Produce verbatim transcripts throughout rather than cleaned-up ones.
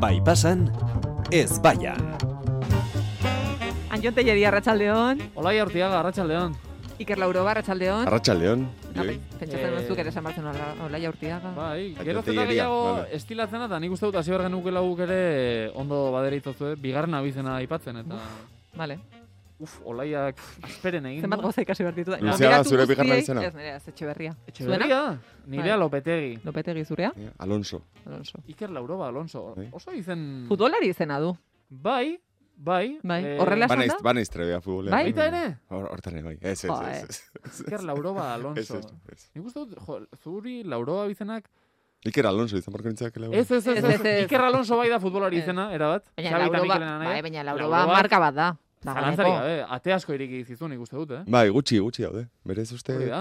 Bai pasan, ez baian. Anjon Telleria, Arratsaldeon. Olaia Urtiaga, Arratsaldeon. Iker Lauroba, Arratsaldeon. Arratsaldeon. Pentsatzen dut ere esan bartzen Olaia Urtiaga. Bai, gero zeta gehiago estilatzena, eta nik uste dut hasi bergen nuke lauk ere ondo baderitzozu, bigarren abizena aipatzen, eta... Vale. Uf, Olaiak asperen egin. Zenbat goza ikasi bertitu da. Luzea, zure bigarren abizena? Ez nirea, ez Etxeberria. Etxeberria? Nirea Lopetegi. Lopetegi zurea? Alonso. Alonso. Iker Lauroba, Alonso. Oso izen... Futbolari izena du. Bai, bai. Bai, horrela esan da? Banaiz trebea futbolea. Bai? Baita ere? Hortan bai, ez, ez, ez. Iker Lauroba, Alonso. Nik uste dut, jo, zuri Lauroba bizenak... Iker Alonso izan barko nintzak lau. Ez, ez, ez, Iker Alonso bai da futbolari izena, erabat. Baina Lauroba, bai, baina Lauroba marka bat da. Zalantzari gabe, ate asko iriki zizu nik uste dut, eh? Bai, gutxi, gutxi daude. Berez uste... Hori da.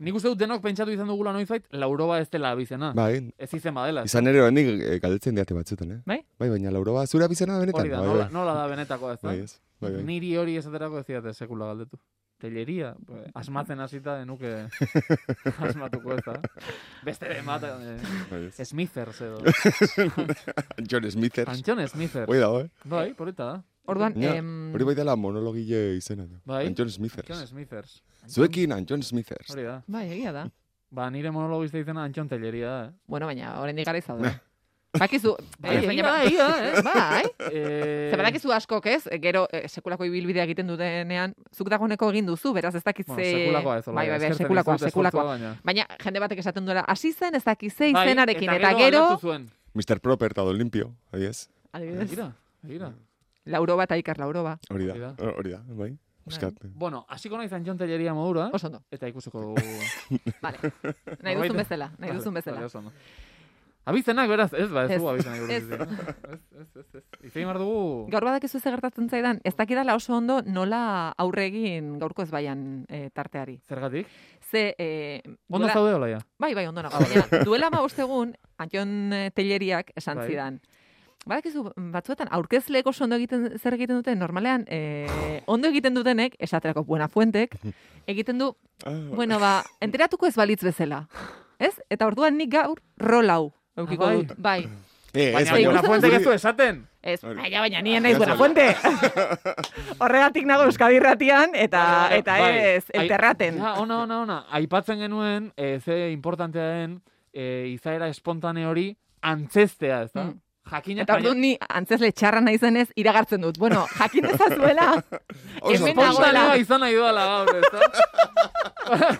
Nik uste dut denok pentsatu izan dugula noizbait, Lauroba ez dela abizena. Bai. Ez izen badela. Izan ere hendik galdetzen diate batzutan, eh? Bai? Bai, baina Lauroba zure abizena benetan. Hori da, nola, nola da benetako ez da? Bai, ez. Bai, bai. Niri hori esaterako ez diate sekula galdetu. Telleria, asmatzen hasita denuke asmatuko ez da. Beste de mata, eh, Smithers edo. Antxon Smithers. Antxon Smithers. Hoi dago, eh? Bai, porita da. Orduan, Ja, em... hori bai dela monologile izena. Bai? Antxon Smithers. Antxon Smithers. Zuekin Antxon Smithers. Hori da. Bai, egia da. Ba, nire monologista izena Antxon Telleria da, eh? Bueno, baina, oraindik gara izaude. Bakizu, Bai, egia da, egia da, eh? bai. Eh, Zer badakizu askok ez, gero eh, sekulako ibilbidea egiten dutenean, zuk dagoeneko egin duzu, beraz ez dakiz Bueno, ze... sekulakoa ez, Bai, bai, bai, sekulakoa, sekulakoa. Baina jende batek esaten duela, hasi zen ez dakiz ze bai, izenarekin, eta gero... mister Proper eta Olimpio, adiez. Adibidez, Egira, egira. Lauroba eta Iker Lauroba. Hori Hori da. da, hori da, bai. Buskat. Bueno, hasiko naiz Antxon Telleria modura, Oso ondo. eta ikusiko dugu... Vale. Nahi duzun bezala, nahi duzun bezala. Vale, oso ondo. Abizenak, beraz, ez, ba, ez Ez. dugu abizenak Ez. buruz. Ez, ez, ez, ez. Izei mar dugu... Gaur badakizu ze gertatzen zaidan, ez dakidala oso ondo nola aurre egin gaurko ez baian eh, tarteari. Zergatik? Ze... Eh, Ondo duela- zaude, Olaia? Bai, bai, ondo nago. Baina, duela ma egun, Antxon eh, Telleriak esan Bai. zidan. Badakizu, batzuetan aurkezleek oso ondo egiten, zer egiten duten, normalean, eh, ondo egiten dutenek, esaterako Buenafuentek, egiten du, bueno, ba, enteratuko ez balitz bezala. Ez? Eta orduan nik gaur rol hau. Eukiko Ah, bai. dut. Bai. Eh, Baina, bai, Buenafuentek ez guri- du esaten. Ez, Hori. baina, baina, nien naiz Buenafuente. Horregatik nago Euskadi Irratian, eta, eta Bai. ez, elterraten. Ja, ona, ona, ona. Aipatzen genuen, e, ze importantea den, e, izaera espontane hori antzestea, ez da? Mm. Jakina, Eta orduan ni antzesle txarra naizenez iragartzen dut. Bueno, jakin dezazuela, Oso hemen ondo. nagoela. espontanea izan nahi duela gaur, ez da?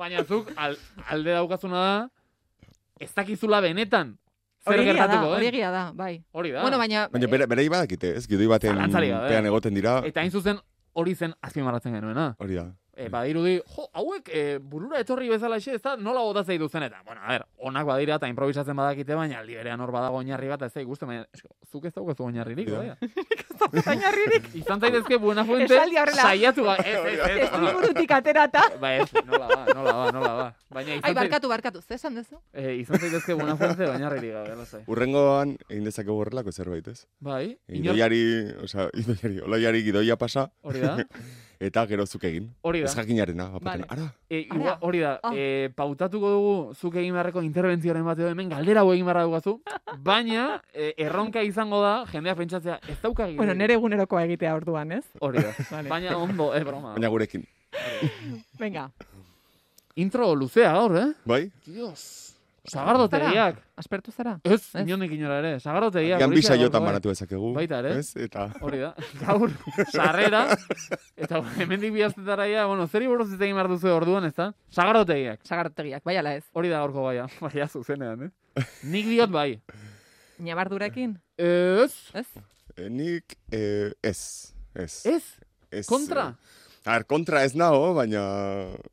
Baina zuk, al, alde daukazuna da, ez dakizula benetan zer Hori egia da, gertatuko, hori eh? egia da, bai. Hori da. Bueno, baina... Baina bere, bere badakite, ez? Gidoi baten Zalantzarik gabe. pean egoten dira. Eta hain zuzen hori zen azpimarratzen genuena. Hori da. E, badirudi, jo, hauek e, burura etorri bezala xe, ez da, nola botatzei duzen, eta, bueno, a ber, onak badira eta improvisatzen badakite, baina aldi berean hor badago oinarri bat, ez da ikusten, baina, esko, zuk ez daukazu oinarririk, Ja. baina. Bainarririk. Izan zaitezke Buenafuente, Esaldi horrela. saiatu, ba, ez, ez, ez, Ez liburutik aterata. ba, ez, nola ba, nola ba, nola ba. Baina Ai, izan, zait, barkatu, barkatu, ze esan duzu? e, izan zaitezke Buenafuente, oinarririk gabe, lasai. Urrengoan egin dezakegu horrelako zerbait, ez? Bai, inor, Idoiari, osea, idoiari, olaiari gidoia pasa, hori da, eta gero zuk egin. hori Ez da. jakinarena, apaten. Vale. Ara, E, Ara. igual, hori da, Ah. e, pautatuko dugu zuk egin beharreko interbentzioaren bat edo hemen galdera hau egin beharra dugazu, baina e, erronka izango da, jendea pentsatzea, ez dauka egin. Bueno, nere egunerokoa egitea orduan, ez? Hori da, Vale. baina ondo, eh, broma. baina gurekin. Venga, Intro luzea gaur, eh? Bai? Dios. Sagardotegiak. aspertu zara? Ez, Ez. inondik inora ere. Sagardotegiak. Gian horixe bisa jotan gaurkoa, eh? banatu dezakegu. Baita ere. Ez? Eta... Hori da. Gaur, sarrera. Eta hemendik bi astetara ja, bueno, zeri buruz hitz egin behar duzu orduan, ez da? Sagardotegiak. Sagartegiak, bai ala ez. Hori da gaurko baia. Baia zuzenean, eh? Nik diot bai. Ñabardurekin? Ez. Ez? Eh, nik, eh, ez. Ez. Ez. Ez, Kontra. eh, A ver, kontra ez nago, baina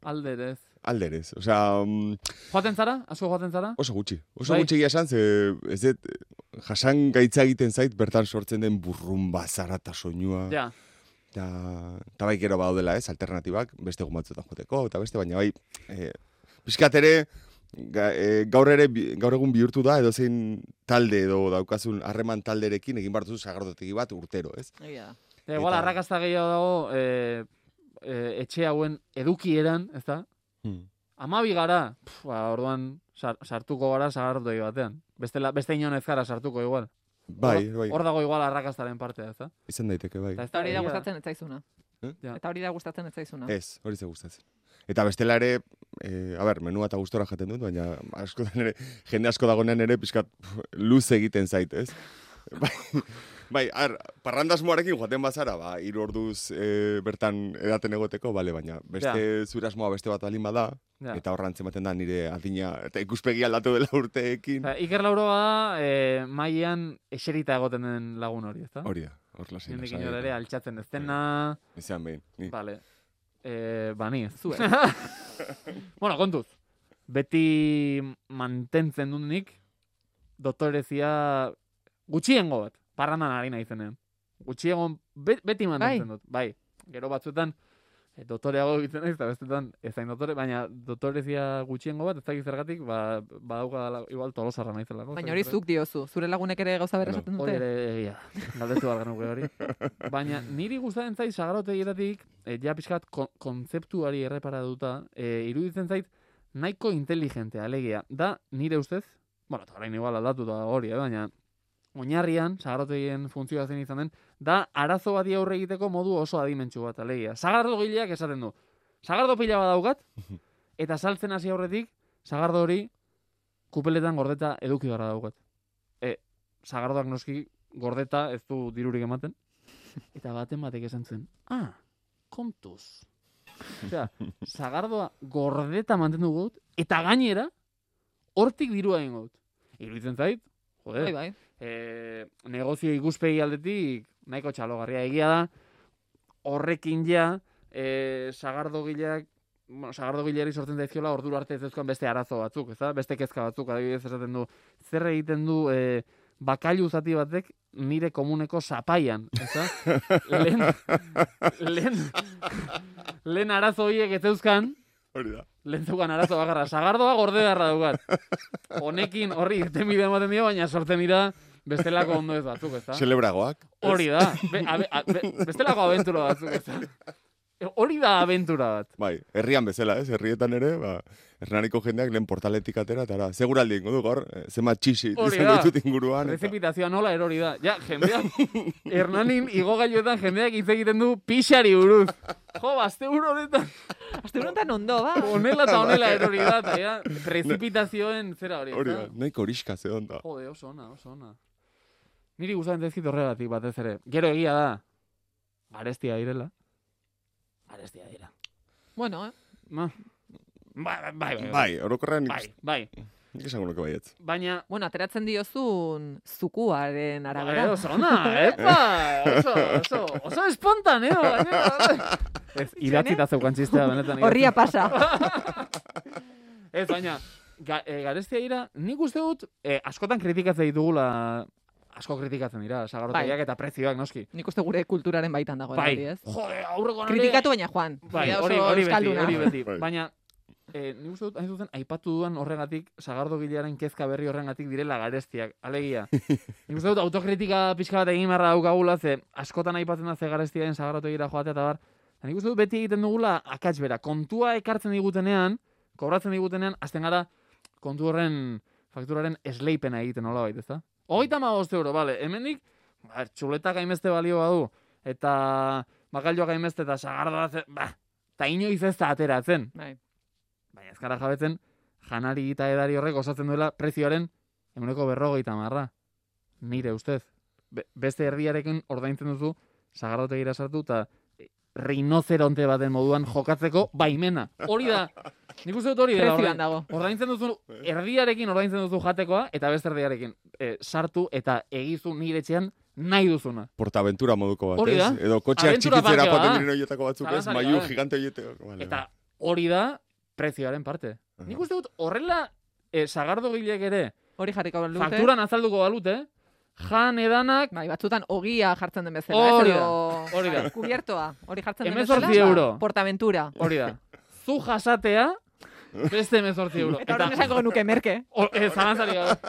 Alderez. alderez. Osea, mm, Joaten zara? Asko joaten zara? oso gutxi. Oso Bai. gutxi egia esan, ze ez dut, eh, jasan gaitza egiten zait, bertan sortzen den burrumba, zara eta soinua. Ja. Eta, eta bai gero badaudela, ez, alternatibak, beste egun batzuetan joteko, eta beste, baina bai, e, pixkat ere, ga, e, gaur ere, bi- gaur egun bihurtu da, edozein talde edo daukazun harreman talderekin egin bartuzu sagardotegi bat urtero, ez? Egia da. Eta igual Eta- arrakasta gehiago dago e, e, etxe hauen edukieran, ez da? Hmm. Amabi gara, pf, ba, orduan sar, sartuko gara sagardotegi batean. Bestela, beste inon ez gara sartuko igual. Bai, bai. Hor dago igual arrakastaren partea, ez da? Izan daiteke, bai. Eta ez Eta hori da egia gustatzen ez zaizuna. Eh? Ja. Eta hori da gustatzen ez zaizuna. Ez, hori ze gustatzen. Eta bestela ere, eh, a ber, menua eta gustora jaten dut, baina askotan ere, jende asko dagonean ere, pixkat luz egiten zait, ez? Bai, bai, ar, parrandasmoarekin joaten bazara, ba, hiru orduz e, bertan edaten egoteko, bale, baina beste Ja. zure asmoa beste bat balin bada, Ja. eta horran ematen da nire adina, eta ikuspegi aldatu dela urteekin. Osea, Iker Lauroa da, e, mailean eserita egoten den lagun hori, ez da? Hori da, hor lasin. Hendik inor ere altxatzen ez dena... Izan behin, ni. Vale. E, ba, ni ez. Zuek. Bueno, kontuz. Beti mantentzen dut nik, doktorezia gutxiengo bat, parrandan ari naizenean. Gutxiengo be, beti mantentzen dut. Bai, gero batzuetan e, doktoreago egiten naiz, eta bestetan ezain doktore, baina doktorezia gutxiengo bat, ez dakit zergatik, ba, badauka igual tolosarra naizelako. Baina hori zuk diozu, zure lagunek ere gauza berra esaten Hori dute. ere egia, galdetu behar genuke hori. Baina niri gustatzen zait sagardotegietatik, e, ja pixkat kon kontzeptuari errepara duta, e, iruditzen zait nahiko inteligentea, alegia. Da, nire ustez, bueno, eta orain igual aldatu da hori, eh, baina oinarrian, sagardotegien funtzioa zen izan den, da arazo bati aurre egiteko modu oso adimentsu bat, alegia. Sagardogileak esaten du. Sagardo pila bat daukat, eta saltzen hasi aurretik, sagardo hori kupeletan gordeta eduki gara daukat. E, sagardoak noski gordeta ez du dirurik ematen. Eta baten batek esan zuen, ah, kontuz. Osea, sagardoa gordeta mantendu gut, eta gainera, hortik dirua egin gut. Iruditzen zait, jode, Bai, bai. e, negozio ikuspegi aldetik nahiko txalogarria egia da, horrekin ja, e, sagardogileak, bueno, sagardogileari sortzen daizkiola ordura arte ez dezkoan beste arazo batzuk, ez da? Beste kezka batzuk, adibidez esaten du, zer egiten du e, bakailu zati batek nire komuneko zapaian, ez da? lehen, lehen, lehen arazo horiek ez zeuzkan, Hori da. lehen zeukan arazo bakarra, sagardoa gorde beharra daukat. Honekin horri irten bide ematen dio, baina sortzen dira bestelako ondo ez batzuk, ez da? Celebragoak. Hori da, be, abe, a, be, bestelako abentura batzuk, ez da? Hori da abentura bat. Bai, herrian bezala, ez? Herrietan ere, ba, Hernaniko jendeak lehen portaletik atera, eta ara, seguraldi ingo du, gaur, eh, zema txixi Hori izango da. ditut inguruan. Eta... Prezipitazioa nola erori da. Ja, jendeak, Hernanin igogailuetan jendeak hitz egiten du pixari buruz. Jo, azte buru honetan, Azte honetan ondo, ba. honela eta honela erori da, eta ja, prezipitazioen zera hori. Hori ez da, da? nahiko horiska zeon da. Jode, oso ona, oso ona. Niri gustatzen zaizkit horregatik batez ere. Gero egia da, garestia direla. Garestia dira. Bueno, eh? Ma. Bai, bai, bai. Bai, Bai, orokorrean bai. bai. nik esango nuke baietz. Baina, Bueno, ateratzen diozun zukuaren bai, arabera. oso ona, epa, oso, oso, oso espontaneo. gainera. Ez, idatzita zeukan txistea, benetan. Horria pasa. Ez, baina, ga, e, garestia dira, nik uste dut, e, askotan kritikatzen ditugula, asko kritikatzen dira, sagardotegiak eta prezioak noski. Nik uste gure kulturaren baitan dagoen Bai, hori, ez? jode, aurrekoan ere- Kritikatu baina Juan. Bai, Oso hori, hori beti, euskalduna. hori beti. Bai. Baina, e, nik uste dut, hain zuzen, aipatu dudan horregatik, sagardogilearen kezka berri horrengatik direla garestiak, alegia. Nik uste dut, autokritika pixka bat egin beharra daukagula, ze askotan aipatzen da ze garestiaren sagardotegira joatea eta bar. Eta nik uste dut, beti egiten dugula akats bera. Kontua ekartzen digutenean, kobratzen digutenean, azten gara kontu horren fakturaren esleipena egiten nola baita, ezta? Hogeita hamabost euro, bale, hemendik, ba, txuletak hainbeste balio badu, eta bakailuak hainbeste eta sagardoa, ze- ba, eta inoiz ez da ateratzen. Bai. Baina ez gara jabetzen, janari eta edari horrek osatzen duela prezioaren ehuneko berrogeita marra. Nire ustez. Be- beste erdiarekin ordaintzen duzu, sagardotegira sartu, eta rinozeronte baten moduan jokatzeko baimena. Hori da, nik uste dut hori dela. Prezioan ordain- dago. Ordaintzen duzu, erdiarekin ordaintzen duzu jatekoa, eta beste erdiarekin e, sartu eta egizu nire etxean nahi duzuna. Portaventura moduko bat, Hori da. ez? Edo kotxeak Abentura txikitzera parkea joaten da. diren horietako batzuk, ez? Zalantzarik Maiu gabe. gigante horieteko. Vale, Eta hori da prezioaren parte. Aha. Nik uste dut horrela e, sagardogileak ere Hori jarriko balute. fakturan azalduko balute, jan edanak Bai, batzutan ogia jartzen den bezala. Hori ez? da, Edo- hori da. Kubiertoa. Hori jartzen den Hemezortzi bezala. euro. Portaventura. Hori da. Zu jasatea, beste hemezortzi euro. Eta horren esango genuke merke. o- e, zalantzari gabe.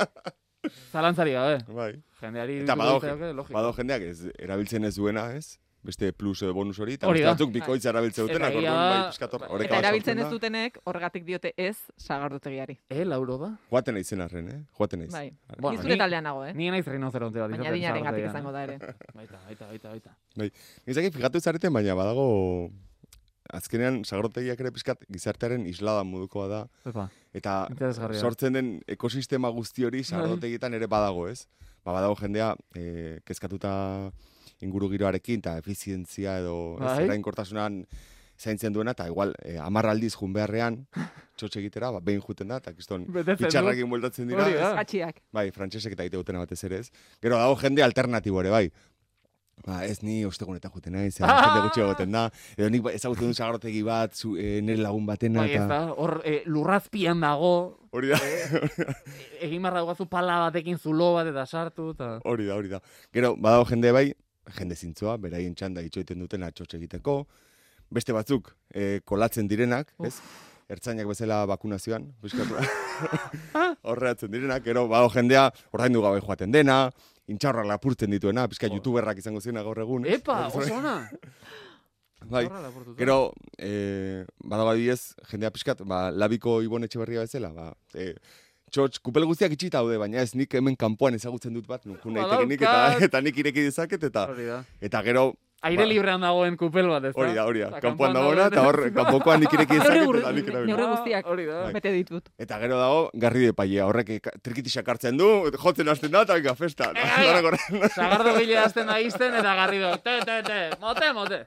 Zalantzari gabe. Bai. Jendeari Eta irudituko badago, litzaioke, logiko. badago jendeak ez erabiltzen ez duena, ez? beste plus edo bonus hori, eta Hori beste da. batzuk bikoitza erabiltze dutenak, Eta orduan ia- bai, pixkat hor- oreka Eta bat erabiltzen ez sortzen da. dutenek horregatik diote ez sagardotegiari. E, lauro da? Joaten naizen arren, eh? Joaten naiz. Bai. Bueno, Ni zure ni- taldean nago, eh? Ni naiz rinoceronte bat. Baina izaten dinaren gatik zagardotegian, izango eh? da ere. Baita, baita, baita, baita. Nizaki fijatu zareten, baina badago... Azkenean, sagardotegiak ere pixkat gizartearen islada modukoa da. Epa, Eta interesgarria. sortzen den ekosistema guzti hori sagardotegietan ere badago, ez? Ba, badago jendea e, kezkatuta inguru giroarekin, eta efizientzia edo ez, Bai. erainkortasunan zaintzen duena, eta igual, e, hamar aldiz jun beharrean, txotxe egitera, ba, behin juten da, eta kiston Betetzen du. pitxarrakin bueltatzen dira. Hori da. ez? Katxiak. Bai, frantsesek eta egite dutena batez ere, ez? Gero dago jende alternatibo ere, bai. Ba, ez ni ostegunetan juten naiz, ah! jende gutxi egoten da. Edo nik ezagutzen dut sagarotegi bat, zu, e, nire lagun batena, Bai, ez eta... da, hor e, lurrazpian dago, Hori da, egin barra guazu pala batekin zulo bat eta sartu, eta... hori da, hori da. Gero, badago jende bai, jende zintzoa, beraien txanda itxoiten dutena txotxe egiteko, beste batzuk e, kolatzen direnak, ez? Ertzainak bezala bakunazioan, biskatu. Horreatzen direnak, gero, badago jendea, ordaindu gabe joaten dena, intxaurrak lapurtzen dituena, pizka youtuberrak izango ziena gaur egun. ez? Epa, oso ona! Bai, Horra lapurtuta. gero, e, badago adibidez, jendea pixkat, ba, labiko Ibon Etxeberria bezala, ba, e, txotx, kupel guztiak itxita daude, baina ez nik hemen kanpoan ezagutzen dut bat, nukun naitekenik, eta, Badaukat. eta nik ireki dezaket, eta, Hori da. eta gero, Aire Ba. librean dagoen kupel bat, ez da? hori da, hori da, Eta kanpoan kanpoan dagoena, eta hor, dagoen- kanpokoan nik ireki Neurri dezaket, gur- eta nik erabil. neurri guztiak. Hori da. Bai. Bete ditut. Eta gero dago, garri de paia, horrek eka- trikitisak hartzen du, jotzen hasten da, eta venga, festa. Sagardo gile azten da izten eta garrido. Te, te, te, mote, mote.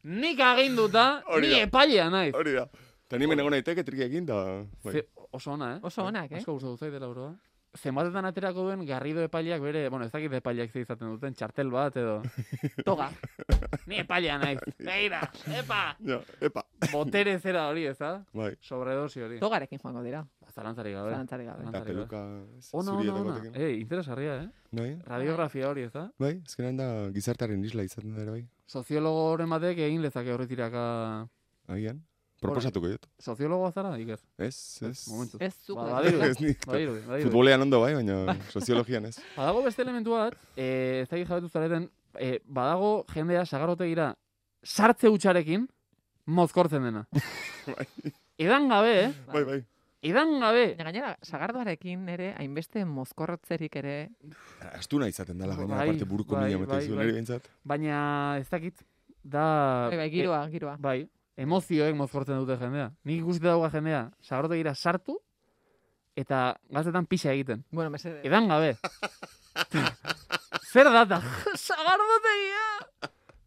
Nik aginduta, Hori ni da. epailea naiz. Hori da. Eta ni menego naiteke triki egin, da... Bai. Ze, oso ona, eh? Oso onak, eh? Asko gustatu zait dela oroa. Zenbatetan aterako duen Garrido epaileak bere, bueno, ez dakit epaileak ze izaten duten, txartel bat edo... Toga. Ni epailea naiz. Begira, epa! Ja, epa. Botere zera hori, ez da? Bai. Sobredosi hori. Togarekin joango dira. Zalantzarik gabe. Zalantzarik gabe. Eta Zalantzarik gabe. peluka ez, Ona, zuri ona, edo ona. batekin. Eh, interesgarria, eh? Bai, Radiografia hori, ez da? bai, ezkenean da gizartaren isla izaten da ere, bai. Soziologoren batek egin lezake horretiraka... Agian, proposatuko dut. Soziologoa zara, Iker? Ez, ez. Momentu. Ez zuk. Ba, da. badirudi, Ez ni. badirudi, badirudi. Futbolean ondo bai, baina soziologian ez. Badago beste elementu bat, eh, ez dakit jabetu zareten, eh, badago jendea sagarrotegira sartze hutsarekin mozkortzen dena. Edan gabe, eh? Bai, bai. Edan gabe. Baina gainera, sagardoarekin ere, hainbeste mozkorrotzerik ere, Astuna izaten dela, gaina, Bai, aparte buruko bai, mina ematen bai, zuen, bai. nire behintzat. Baina ez dakit, da... bai, bai, giroa, giroa. e, bai, emozioek mozkortzen dute jendea. Nik ikusita dauga jendea sagarrotegira sartu, eta gaztetan pixa egiten. Bueno, mesede. Edan gabe. Zer data? Sagardotegia!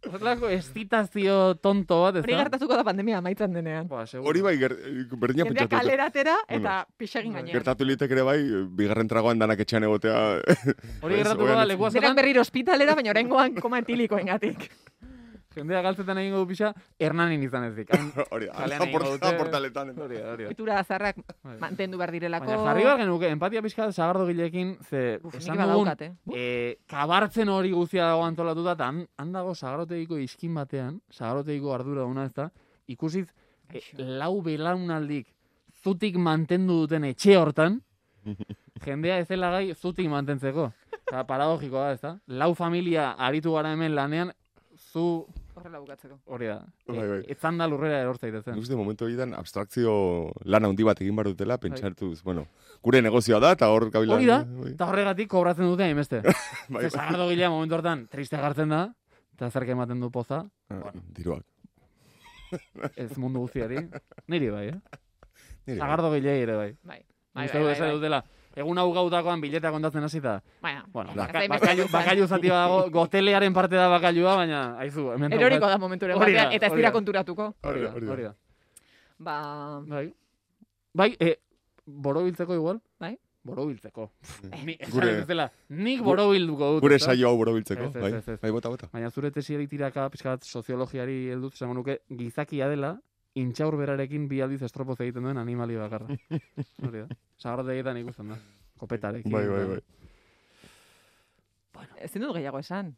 Horrelako estitazio tonto bat, ez Hori da? gertatuko da pandemia amaitzen denean. Ba, seguro. Hori bai, ger, berdina Jendea pentsatu. dut. kalera atera eta Bueno, pixegin bai. gainean. Gertatu litek ere bai, bigarren tragoan danak etxean egotea. Hori Ez, gertatuko oian da ez- leku Denak askotan, berriro ospitalera, baina oraingoan koma etilikoengatik. jendea galtzetan egingo du pixa, Hernanin izan ezik. Han- Hori da, kalean han egingo porta- dute. portaletan. eta. Hori da, hori da. Ohitura zarrak Bai. mantendu behar direlako. Baina jarri behar genuke, empatia pixka sagardo gilekin, ze Uf, nik esan dugun, badaukat, eh? Uf. e, kabartzen hori guztia dago antolatuta, eta han, han dago sagarrotegiko iskin batean, sagarrotegiko ardura duna ez da, ikusiz e, lau belaunaldik zutik mantendu duten etxe hortan, jendea ez dela gai zutik mantentzeko. Eta paradogikoa da, ez da? Lau familia aritu gara hemen lanean, zu Horrela bukatzeko. hori da. Bai, bai. E, etzan da lurrera erortzaitezen. Nik uste momentu horietan abstrakzio lan handi bat egin behar Bai. dutela, pentsartuz, bueno, gure negozioa da, eta hor kabila... Hori da, Bai, eta horregatik kobratzen dute hainbeste. bai, Ze sagardo gilea momentu hortan triste gartzen da, eta zerke ematen du poza, Ah, diruak. ez mundu guztiari. Niri bai, eh? Nire, Sagardo gilei ere bai. Bai. Bai, Uste bai, dut bai, esan bai. dutela, egun hau gautakoan bileta kontatzen hasita. Baina, Bueno, ez baka, da hainbeste bakailu, izan. bakailu zati badago, gotelearen parte da bakailua, baina, haizu, hemen Eroriko da momenturen Hori da, batean, eta ez hori dira da. konturatuko. Hori da, Hori da. hori da. Ba, Bai, bai e, borobiltzeko igual? Bai. Borobiltzeko. Ni, Gure- gure, zela, nik borobilduko dut. Gure ezta? saio hau borobiltzeko, Ez, ez, bai, ez, ez. bai, bota, bota. Baina zure tesiari tiraka, pixka bat soziologiari heldut, esango nuke, gizakia dela, intxaur berarekin bi aldiz estropoz egiten duen animali bakarra. Hori da. Sagarrotegietan ikusten da. Kopetarekin. Bai, bai, bai. ezin dut gehiago esan.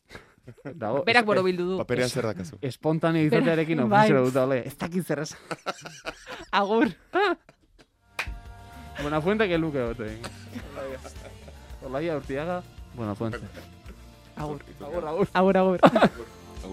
Dago, Berak es- borobildu du. Paperean zer dakazu. espontaneo izatearekin Bai. ofensera dut, ole, ez dakit zer esan. Agur. Buenafuente que luke bote. Olaia Urtiaga, Buenafuente. Agur. Agur, agur. Agur, agur.